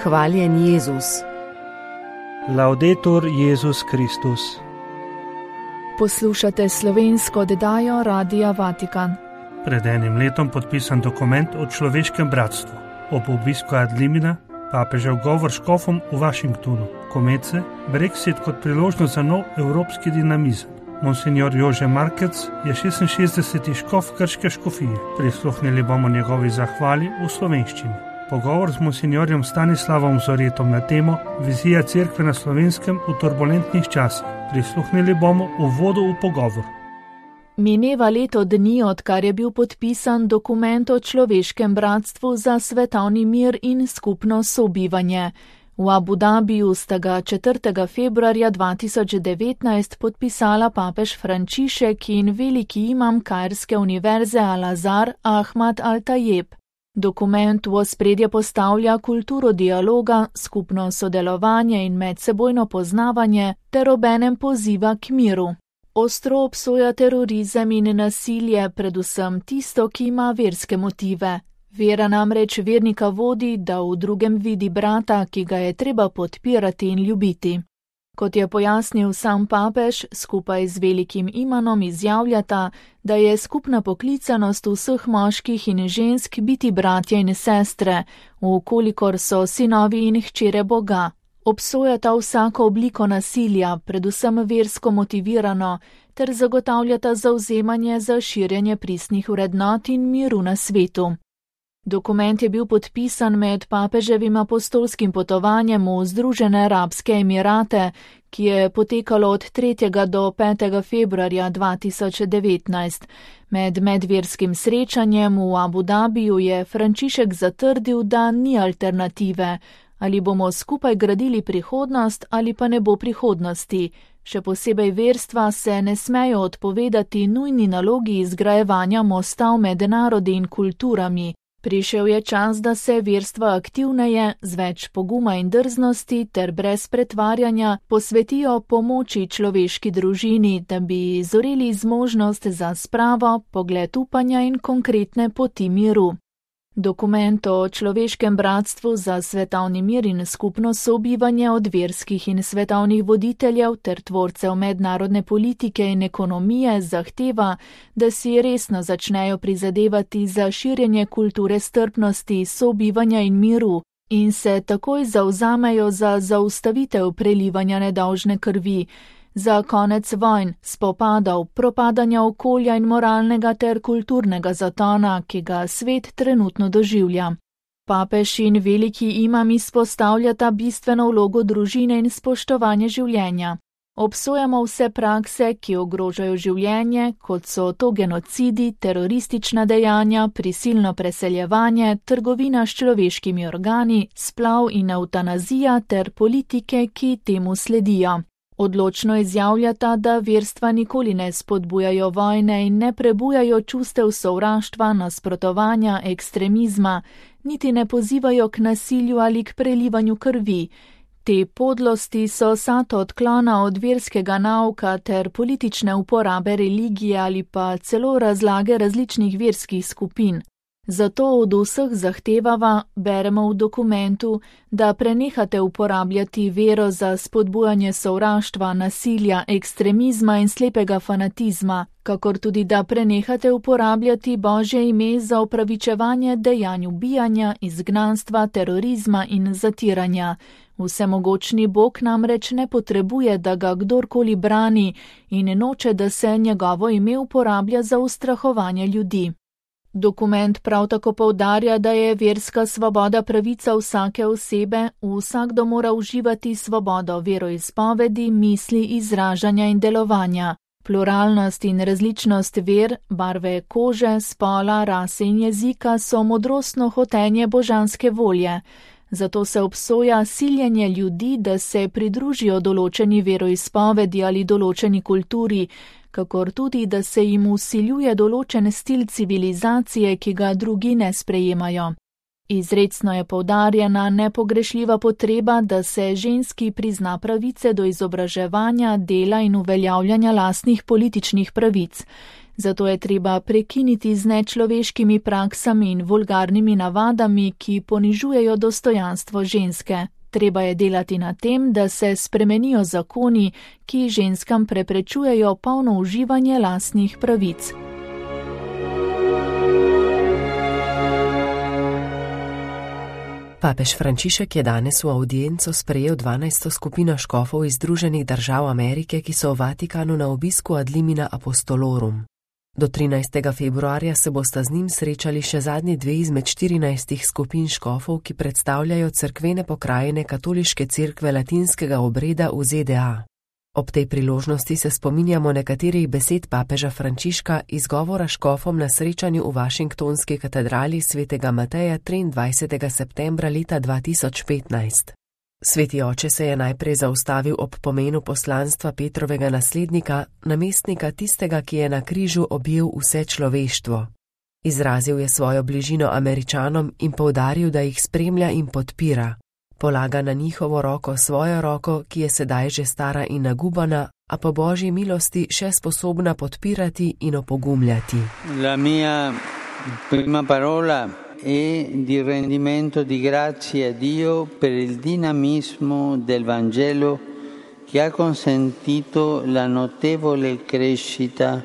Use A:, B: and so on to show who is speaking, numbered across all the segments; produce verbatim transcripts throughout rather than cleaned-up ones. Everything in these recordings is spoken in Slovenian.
A: Hvaljen Jezus.
B: Laudetur Jezus Kristus.
C: Poslušate slovensko oddajo Radia Vatikan.
B: Pred enim letom podpisan dokument o človeškem bratstvu. Ob obisku ad limina papežev govor škofom v Washingtonu. Komece, Brexit kot priložnost za nov evropski dinamizem. Monsignor Jože Markec je šestinšestdeseti škof krške škofije. Prisluhnili bomo njegovi zahvali v slovenščini. Pogovor z monsignorjem Stanislavom Zoretom na temo Vizija cerkve na Slovenskem v turbulentnih časih. Prisluhnili bomo uvodu v pogovor.
C: Mineva leto dni, odkar je bil podpisan dokument o človeškem bratstvu za svetovni mir in skupno sobivanje. V Abu Dabiju sta ga četrtega februarja dva tisoč devetnajst podpisala papež Frančišek in veliki imam Kairske univerze Al-Azhar Ahmad Al-Tajeb. Dokument v ospredje postavlja kulturo dialoga, skupno sodelovanje in medsebojno poznavanje ter obenem poziva k miru. Ostro obsoja terorizem in nasilje, predvsem tisto, ki ima verske motive. Vera namreč vernika vodi, da v drugem vidi brata, ki ga je treba podpirati in ljubiti. Kot je pojasnil sam papež, skupaj z velikim imanom izjavljata, da je skupna poklicanost vseh moških in žensk biti bratje in sestre, vkolikor so sinovi in hčere Boga. Obsojata vsako obliko nasilja, predvsem versko motivirano, ter zagotavljata zavzemanje za širjenje pristnih vrednot in miru na svetu. Dokument je bil podpisan med papeževim apostolskim potovanjem v Združene arabske emirate, ki je potekalo od tretjega do petega februarja dva tisoč devetnajst. Med medverskim srečanjem v Abu Dabiju je Frančišek zatrdil, da ni alternative. Ali bomo skupaj gradili prihodnost ali pa ne bo prihodnosti. Še posebej verstva se ne smejo odpovedati nujni nalogi izgrajevanja mosta med narodi in kulturami. Prišel je čas, da se verstva aktivneje, z več poguma in drznosti ter brez pretvarjanja posvetijo pomoči človeški družini, da bi zoreli zmožnost za spravo, pogled upanja in konkretne poti miru. Dokument o človeškem bratstvu za svetovni mir in skupno sobivanje od verskih in svetovnih voditeljev ter tvorcev mednarodne politike in ekonomije zahteva, da si resno začnejo prizadevati za širjenje kulture strpnosti, sobivanja in miru in se takoj zavzamejo za zaustavitev prelivanja nedolžne krvi, za konec vojn, spopadov, propadanja okolja in moralnega ter kulturnega zatona, ki ga svet trenutno doživlja. Papež in veliki imam izpostavljata bistveno vlogo družine in spoštovanje življenja. Obsojamo vse prakse, ki ogrožajo življenje, kot so to genocidi, teroristična dejanja, prisilno preseljevanje, trgovina s človeškimi organi, splav in evtanazija ter politike, ki temu sledijo. Odločno izjavljata, da verstva nikoli ne spodbujajo vojne in ne prebujajo čustev sovraštva, nasprotovanja, ekstremizma, niti ne pozivajo k nasilju ali k prelivanju krvi. Te podlosti so sad odklona od verskega nauka ter politične uporabe religije ali pa celo razlage različnih verskih skupin. Zato od vseh zahtevava, beremo v dokumentu, da prenehate uporabljati vero za spodbujanje sovraštva, nasilja, ekstremizma in slepega fanatizma, kakor tudi da prenehate uporabljati Božje ime za opravičevanje dejanj ubijanja, izgnanstva, terorizma in zatiranja. Vsemogočni Bog namreč ne potrebuje, da ga kdorkoli brani in noče, da se njegovo ime uporablja za ustrahovanje ljudi. Dokument prav tako poudarja, da je verska svoboda pravica vsake osebe, vsakdo mora uživati svobodo veroizpovedi, misli, izražanja in delovanja. Pluralnost in različnost ver, barve kože, spola, rase in jezika so modrostno hotenje božanske volje. Zato se obsoja siljenje ljudi, da se pridružijo določeni veroizpovedi ali določeni kulturi, kakor tudi, da se jim vsiljuje določen stil civilizacije, ki ga drugi ne sprejemajo. Izrecno je poudarjena nepogrešljiva potreba, da se ženski prizna pravice do izobraževanja, dela in uveljavljanja lastnih političnih pravic. Zato je treba prekiniti z nečloveškimi praksami in vulgarnimi navadami, ki ponižujejo dostojanstvo ženske. Treba je delati na tem, da se spremenijo zakoni, ki ženskam preprečujejo polno uživanje lastnih pravic.
A: Papež Frančišek je danes v avdienco sprejel dvanajsto skupino škofov iz Združenih držav Amerike, ki so v Vatikanu na obisku ad limina apostolorum. Do trinajstega februarja se bosta z njim srečali še zadnji dve izmed štirinajstih skupin škofov, ki predstavljajo cerkvene pokrajine katoliške cerkve latinskega obreda v Z D A. Ob tej priložnosti se spominjamo nekaterih besed papeža Frančiška iz govora škofom na srečanju v Washingtonski katedrali svetega Mateja triindvajsetega septembra leta dva tisoč petnajst. Sveti oče se je najprej zaustavil ob pomenu poslanstva Petrovega naslednika, namestnika tistega, ki je na križu objel vse človeštvo. Izrazil je svojo bližino Američanom in poudaril, da jih spremlja in podpira. Polaga na njihovo roko svojo roko, ki je sedaj že stara in nagubana, a po Božji milosti še sposobna podpirati in opogumljati.
D: La mia prima parola è di rendimento di grazie a Dio per il dinamismo del Vangelo che ha consentito la notevole crescita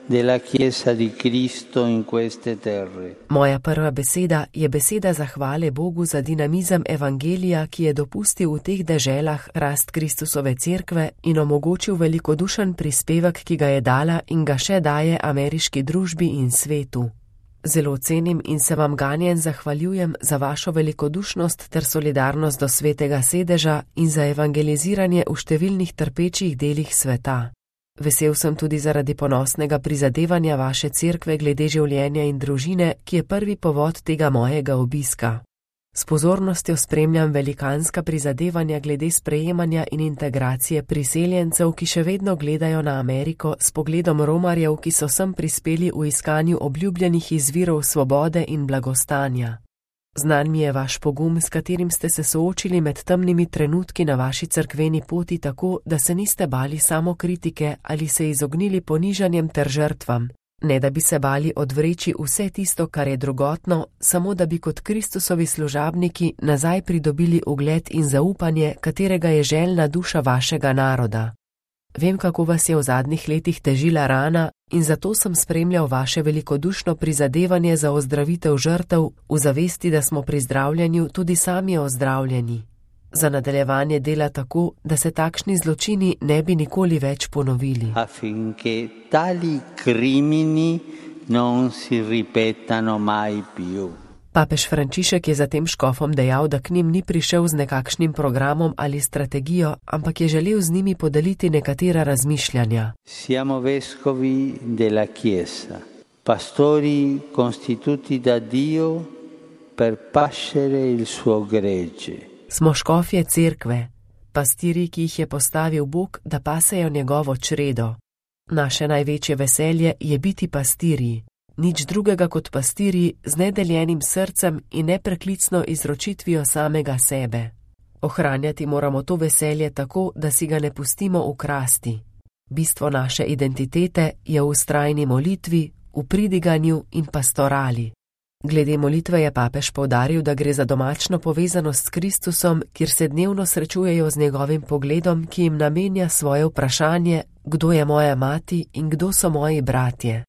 D: della Chiesa di Cristo in queste terre.
A: Moja prva beseda je beseda zahvale Bogu za dinamizem evangelija, ki je dopustil v teh deželah rast Kristusove cerkve in omogočil velikodušen prispevek, ki ga je dala in ga še daje ameriški družbi in svetu. Zelo cenim in se vam ganjen zahvaljujem za vašo velikodušnost ter solidarnost do svetega sedeža in za evangeliziranje v številnih trpečih delih sveta. Vesel sem tudi zaradi ponosnega prizadevanja vaše cerkve glede življenja in družine, ki je prvi povod tega mojega obiska. S pozornostjo spremljam velikanska prizadevanja glede sprejemanja in integracije priseljencev, ki še vedno gledajo na Ameriko s pogledom romarjev, ki so sem prispeli v iskanju obljubljenih izvirov svobode in blagostanja. Znan mi je vaš pogum, s katerim ste se soočili med temnimi trenutki na vaši cerkveni poti tako, da se niste bali samo kritike ali se izognili ponižanjem ter žrtvam, ne da bi se bali odvreči vse tisto, kar je drugotno, samo da bi kot Kristusovi služabniki nazaj pridobili ugled in zaupanje, katerega je željna duša vašega naroda. Vem, kako vas je v zadnjih letih težila rana in zato sem spremljal vaše velikodušno prizadevanje za ozdravitev žrtev v zavesti, da smo pri zdravljenju tudi sami ozdravljeni. Za nadaljevanje dela tako, da se takšni zločini ne bi nikoli več ponovili.
D: Affinché tali crimini non si ripetano mai più.
A: Papež Frančišek je zatem škofom dejal, da k njim ni prišel z nekakšnim programom ali strategijo, ampak je želel z njimi podeliti nekatera razmišljanja.
D: Siamo vescovi della Chiesa, pastori constituti da Dio per pascere il suo gregge.
A: Smo škofje cerkve, pastiri, ki jih je postavil Bog, da pasejo njegovo čredo. Naše največje veselje je biti pastirji. Nič drugega kot pastirji z nedeljenim srcem in nepreklicno izročitvijo samega sebe. Ohranjati moramo to veselje tako, da si ga ne pustimo ukrasti. Bistvo naše identitete je v vztrajni molitvi, v pridiganju in pastorali. Glede molitve je papež poudaril, da gre za domačno povezanost s Kristusom, kjer se dnevno srečujejo z njegovim pogledom, ki jim namenja svoje vprašanje, kdo je moja mati in kdo so moji bratje.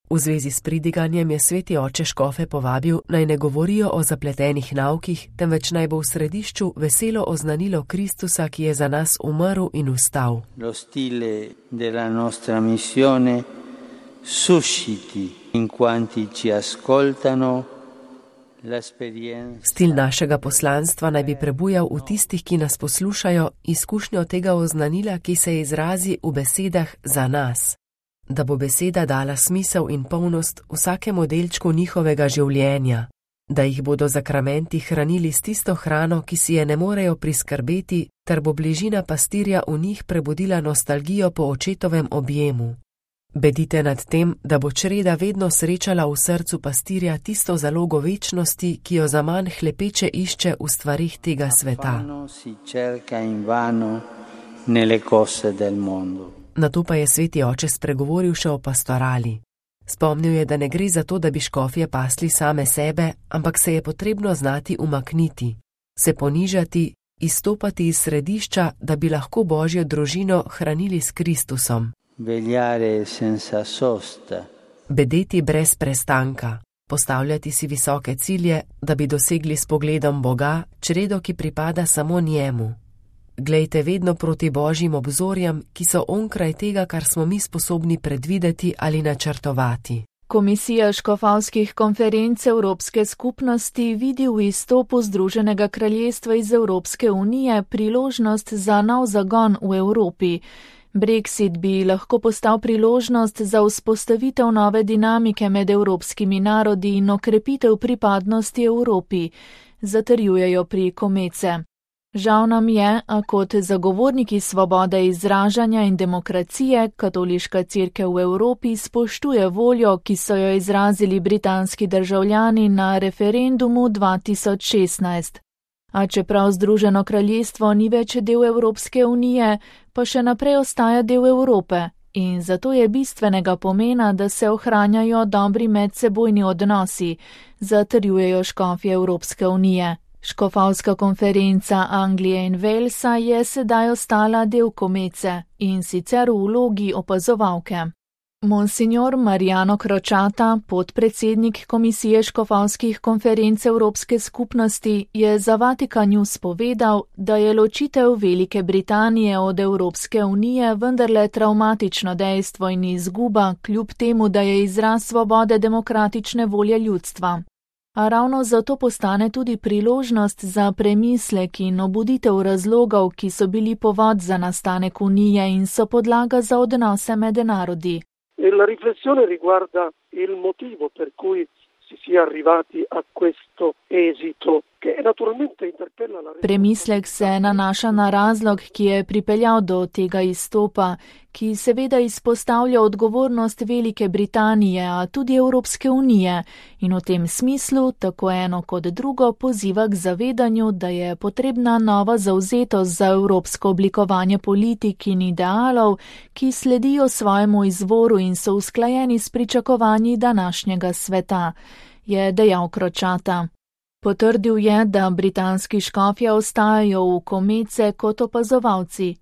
A: V zvezi s pridiganjem je sveti oče škofe povabil, naj ne govorijo o zapletenih naukih, temveč naj bo v središču veselo oznanilo Kristusa, ki je za nas umrl in vstal.
D: Lo stile della nostra missione susciti in quanti ci ascoltano l'esperienza.
A: Stil našega poslanstva naj bi prebujal v tistih, ki nas poslušajo, izkušnjo tega oznanila, ki se izrazi v besedah za nas. Da bo beseda dala smisel in polnost vsakemu delčku njihovega življenja, da jih bodo zakramenti hranili s tisto hrano, ki si je ne morejo priskrbeti, ter bo bližina pastirja v njih prebudila nostalgijo po očetovem objemu. Bedite nad tem, da bo čreda vedno srečala v srcu pastirja tisto zalogo večnosti, ki jo zaman hlepeče išče v stvarih tega sveta. Nato pa je sveti oče spregovoril še o pastorali. Spomnil je, da ne gre za to, da bi škofje pasli same sebe, ampak se je potrebno znati umakniti, se ponižati, izstopati iz središča, da bi lahko Božjo družino hranili s Kristusom.
D: Vegliare senza sosta.
A: Bedeti brez prestanka, postavljati si visoke cilje, da bi dosegli s pogledom Boga čredo, ki pripada samo njemu. Glejte vedno proti Božjim obzorjem, ki so onkraj tega, kar smo mi sposobni predvideti ali načrtovati.
C: Komisija škofovskih konferenc Evropske skupnosti vidi v izstopu Združenega kraljestva iz Evropske unije priložnost za nov zagon v Evropi. Brexit bi lahko postal priložnost za vzpostavitev nove dinamike med evropskimi narodi in okrepitev pripadnosti Evropi, zatrjujejo pri Komece. Žal nam je, a kot zagovorniki svobode izražanja in demokracije, katoliška cerkev v Evropi spoštuje voljo, ki so jo izrazili britanski državljani na referendumu dva tisoč šestnajst. A čeprav Združeno kraljestvo ni več del Evropske unije, pa še naprej ostaja del Evrope in zato je bistvenega pomena, da se ohranjajo dobri medsebojni odnosi, zatrjujejo škofje Evropske unije. Škofovska konferenca Anglije in Walesa je sedaj ostala del Komece in sicer v vlogi opazovalke. Monsignor Mariano Crociata, podpredsednik Komisije škofovskih konferenc Evropske skupnosti, je za Vatikan News povedal, da je ločitev Velike Britanije od Evropske unije vendarle travmatično dejstvo in izguba, kljub temu, da je izraz svobode demokratične volje ljudstva. A ravno zato postane tudi priložnost za premislek in obuditev razlogov, ki so bili povod za nastanek unije in so podlaga za odnose med narodi.
E: La riflessione riguarda il motivo per cui si sia arrivati a questo esito, che naturalmente interpella la...
C: Premislek se nanaša na razlog, ki je pripeljal do tega izstopa, ki seveda izpostavlja odgovornost Velike Britanije, a tudi Evropske unije in v tem smislu tako eno kot drugo poziva k zavedanju, da je potrebna nova zavzetost za evropsko oblikovanje politik in idealov, ki sledijo svojemu izvoru in so usklajeni s pričakovanji današnjega sveta, je dejal Crociata. Potrdil je, da britanski škofje ostajajo v Komece kot opazovalci.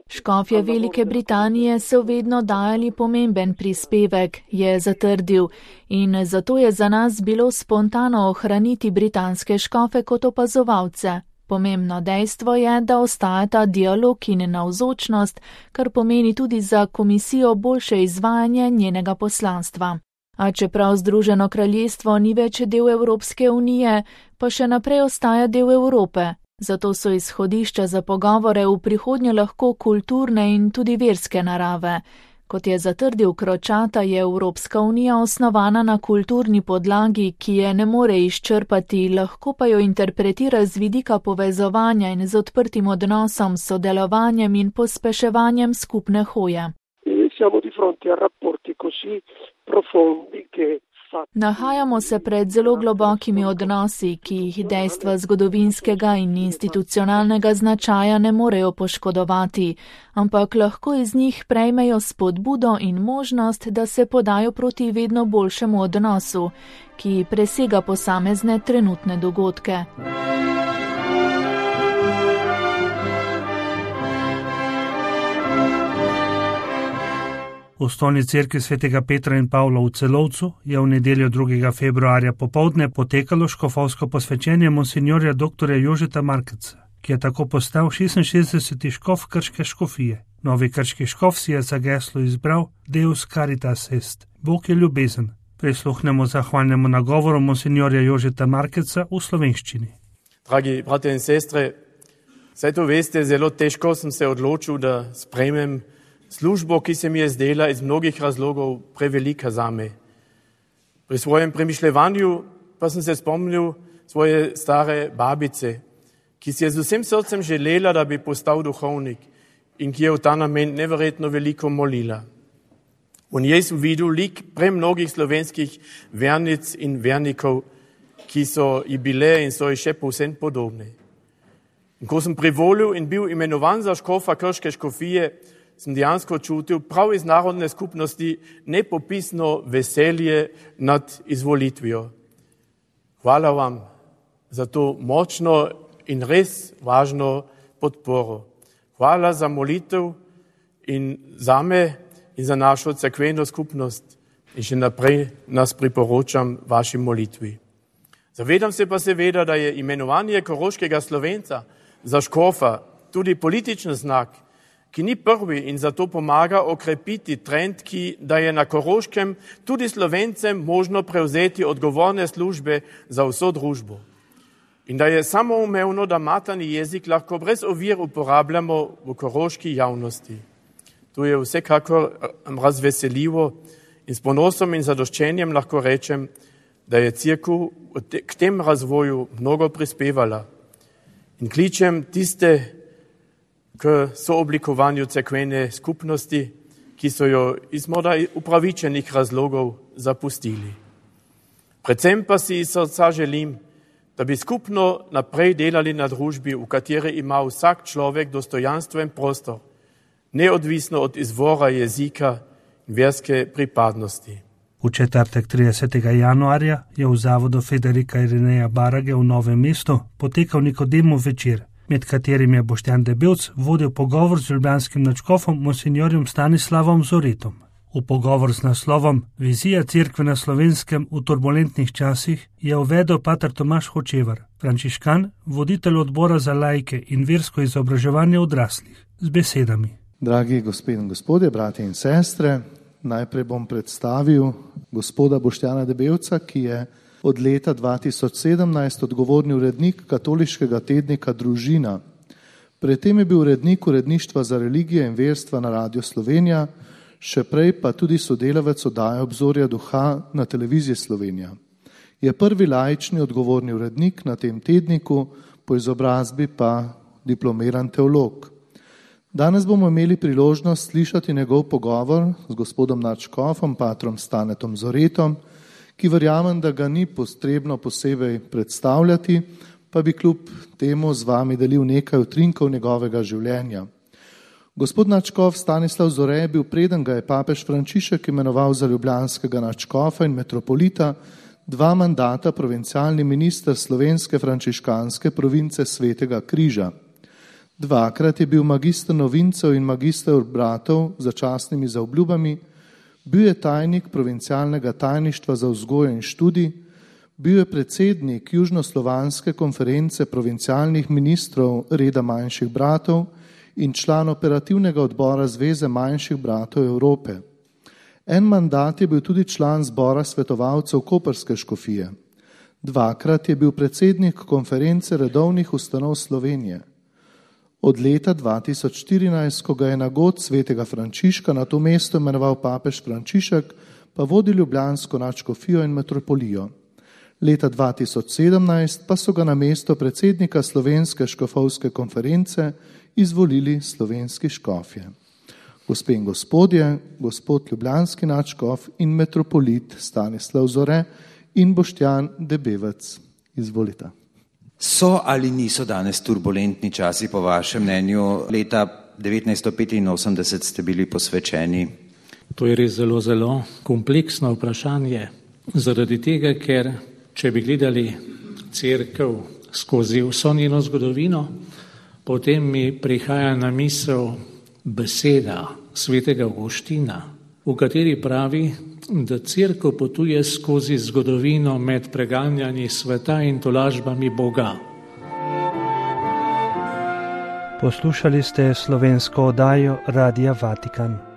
C: Škofje Velike Britanije so vedno dajali pomemben prispevek, je zatrdil, in zato je za nas bilo spontano ohraniti britanske škofe kot opazovalce. Pomembno dejstvo je, da ostajata dialog in navzočnost, kar pomeni tudi za komisijo boljše izvajanje njenega poslanstva. A čeprav Združeno kraljestvo ni več del Evropske unije, pa še naprej ostaja del Evrope. Zato so izhodišča za pogovore v prihodnje lahko kulturne in tudi verske narave. Kot je zatrdil Crociata, je Evropska unija osnovana na kulturni podlagi, ki je ne more izčrpati, lahko pa jo interpretira z vidika povezovanja in z odprtim odnosom, sodelovanjem in pospeševanjem skupne hoje. Nahajamo se pred zelo globokimi odnosi, ki jih dejstva zgodovinskega in institucionalnega značaja ne morejo poškodovati, ampak lahko iz njih prejmejo spodbudo in možnost, da se podajo proti vedno boljšemu odnosu, ki presega posamezne trenutne dogodke.
B: V Osnovni cerkvi svetega Petra in Pavla v Celovcu je v nedeljo drugega februarja popoldne potekalo škofovsko posvečenje monsignorja doktorja Jožeta Markeca, ki je tako postal šestinšestdeseti škof krške škofije. Novi krški škof si je za geslo izbral Deus Caritas Est, Bog je ljubezen. Prisluhnemo zahvalnemu nagovoru monsignorja Jožeta Markeca v slovenščini.
F: Dragi brate in sestre, saj to veste, zelo težko sem se odločil, da sprejmem službo, ki se mi je zdela iz mnogih razlogov prevelika zame. Pri svojem premišljevanju pa sem se spomnil svoje stare babice, ki si je z vsem srcem želela, da bi postal duhovnik in ki je v ta namen neverjetno veliko molila. V njej sem videl lik premnogih slovenskih vernic in vernikov, ki so ji bile in so ji še povsem podobne. In ko sem privolil in bil imenovan za škofa krške škofije, sem dejansko čutil prav iz narodne skupnosti nepopisno veselje nad izvolitvijo. Hvala vam za to močno in res važno podporo. Hvala za molitev in za me in za našo cerkveno skupnost. In še naprej nas priporočam vaši molitvi. Zavedam se pa seveda, da je imenovanje koroškega Slovenca za škofa tudi političen znak, ki ni prvi in zato pomaga okrepiti trend, ki da je na Koroškem tudi Slovencem možno prevzeti odgovorne službe za vso družbo. In da je samoumevno, da materni jezik lahko brez ovir uporabljamo v koroški javnosti. To je vsekakor razveseljivo in s ponosom in zadoščenjem lahko rečem, da je cerkev k tem razvoju mnogo prispevala. In kličem tiste k sooblikovanju cerkvene skupnosti, ki so jo iz morda upravičenih razlogov zapustili. Predvsem pa si iz srca želim, da bi skupno naprej delali na družbi, v kateri ima vsak človek dostojanstven prostor, neodvisno od izvora jezika in verske pripadnosti.
B: V četrtek tridesetega januarja je v zavodu Federika Irineja Barage v Novem mestu potekal Nikodemov večer, med katerim je Boštjan Debevc vodil pogovor z ljubljanskim nadškofom monsinjorjem Stanislavom Zoretom. V pogovor z naslovom Vizija cerkve na Slovenskem v turbulentnih časih je uvedel pater Tomaž Hočevar, frančiškan, voditelj odbora za laike in versko izobraževanje odraslih, z besedami.
G: Dragi gospod in gospodje, bratje in sestre, najprej bom predstavil gospoda Boštjana Debevca, ki je od leta dva tisoč sedemnajst odgovorni urednik katoliškega tednika Družina. Predtem je bil urednik uredništva za religije in verstva na Radiu Slovenija, še prej pa tudi sodelavec oddaje Obzorja duha na Televiziji Slovenija. Je prvi laični odgovorni urednik na tem tedniku, po izobrazbi pa diplomiran teolog. Danes bomo imeli priložnost slišati njegov pogovor z gospodom nadškofom, patrom Stanetom Zoretom, ki verjamem, da ga ni potrebno posebej predstavljati, pa bi kljub temu z vami delil nekaj utrinkov njegovega življenja. Gospod nadškof Stanislav Zore je bil, preden ga je papež Frančišek imenoval za ljubljanskega nadškofa in metropolita, dva mandata provincialni minister slovenske frančiškanske province Svetega Križa. Dvakrat je bil magister novincev in magister bratov za častnimi zaobljubami, bil je tajnik provincialnega tajništva za vzgojo in študij, bil je predsednik Južnoslovanske konference provincialnih ministrov reda manjših bratov in član operativnega odbora Zveze manjših bratov Evrope. En mandat je bil tudi član zbora svetovalcev Koprske škofije. Dvakrat je bil predsednik konference redovnih ustanov Slovenije. Od leta dva tisoč štirinajst, ko ga je na god svetega Frančiška na to mesto imenoval papež Frančišek, pa vodi ljubljansko nadškofijo in metropolijo. Leta dva tisoč sedemnajst pa so ga na mesto predsednika Slovenske škofovske konference izvolili slovenski škofje. Gospe in gospodje, gospod ljubljanski nadškof in metropolit Stanislav Zore in Boštjan Debevec. Izvolite.
H: So ali niso danes turbulentni časi po vašem mnenju? Leta devetnajststo petinosemdeset ste bili posvečeni.
I: To je res zelo, zelo kompleksno vprašanje. Zaradi tega, ker če bi gledali cerkev skozi vso njeno zgodovino, potem mi prihaja na misel beseda svetega Avguština, v kateri pravi, da cerkev potuje skozi zgodovino med preganjanji sveta in tolažbami Boga.
B: Poslušali ste slovensko oddajo Radia Vatikan.